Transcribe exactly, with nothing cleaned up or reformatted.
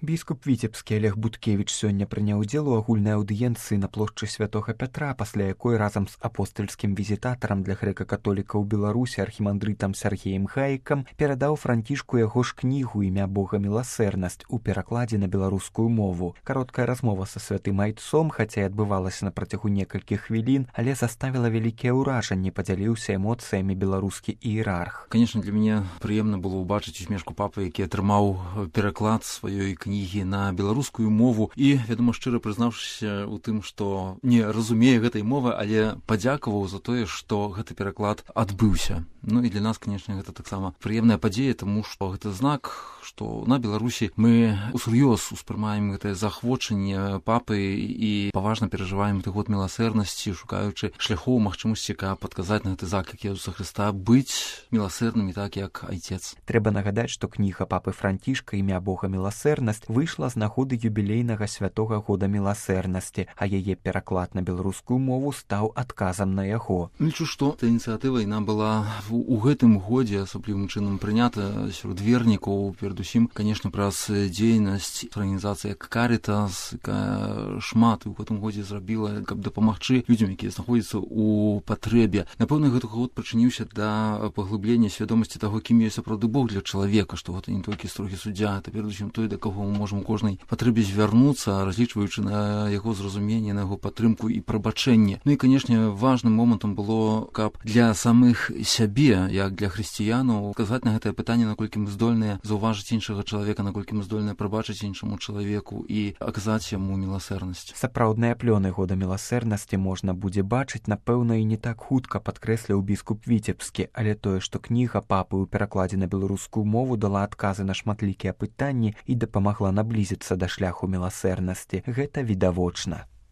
Біскуп Віцебскі Олег Буткевіч сёння прыняў удзел у агульнай аўдыенцыі на плошчы Святога Пятра, пасля якой разам з апостальскім візітатарам для грэка-католікаў Беларусі архімандрытам Сергеем Гаікам перадаў Францішку яго ж кнігу «Імя Бога міласэрнасць» у перакладзе на беларускую мову. Кароткая размова са святым айцом, хаця і адбывалася на працягу некалькіх хвілін, але заставіла вялікія ўражанні, падзяліўся эмоцыямі беларускі іерарх. Конечно, для мяне прыемна было ўбачыць усмешку папы, які атрымаў пераклад сваёй кнігі кнігі на беларускую мову і, вядома, шчыра прызнаўшыся ў тым, што не разумее гэтай мовы, але падзякаваў за тое, што гэты пераклад адбыўся. Ну і для нас, конечно, гэта таксама прыемная падзея, таму што гэта знак, што на Беларусі мы усур'ёз успрымаем гэтае захвочанне папы і паважна перажываем гэты год міласэрнасці, шукаючы шляхоў, магчымасці, каб адказаць на гэты заклік Езуса Хрыста быць міласэрнымі так, як айцец. Трэба нагадаць, што кніга папы Францішка «Імя Бога міласэрнасць» выйшла з нагоды юбілейнага святога года міласэрнасці, а яе пераклад на беларускую мову стаў адказам на яго. Лічу, што эта ініцыятыва яна была у гэтым годзе асаблівым чынам прынята сярод вернікаў, перадусім, канешне, праз дзейнасць арганізацыі як Карітас, якая шмат у гэтым годзе зрабіла, каб дапамагчы людзям, якія знаходзяцца ў патрэбе. Напэўна, гэты год прычыніўся да паглыблення свядомасці таго, кім ёсць сапраўды Бог для чалавека, што гэта не толькі строгі суддзя, гэта перадусім той, да каго мы можам у кожнай патрэбе звярнуцца, разлічваючы на яго зразуменне, на яго падтрымку і прабачэнне. Ну і, канешне, важным момантам было, каб для самых сябе, як для хрысціянаў, казаць на гэтае пытанне, наколькі мы здольныя заўважыць іншага чалавека, наколькі мы здольныя прабачыць іншаму чалавеку і аказаць яму міласэрнасць. Сапраўдныя плёны года міласэрнасці можна будзе бачыць, напэўна, і не так хутка, падкрэсліў біскуп Віцебскі, але тое, што кніга папы ў перакладзе на беларускую мову дала адказы на шматлікія пытанні і дапамагла наблізіцца да шляху міласэрнасці, гэта відавочна.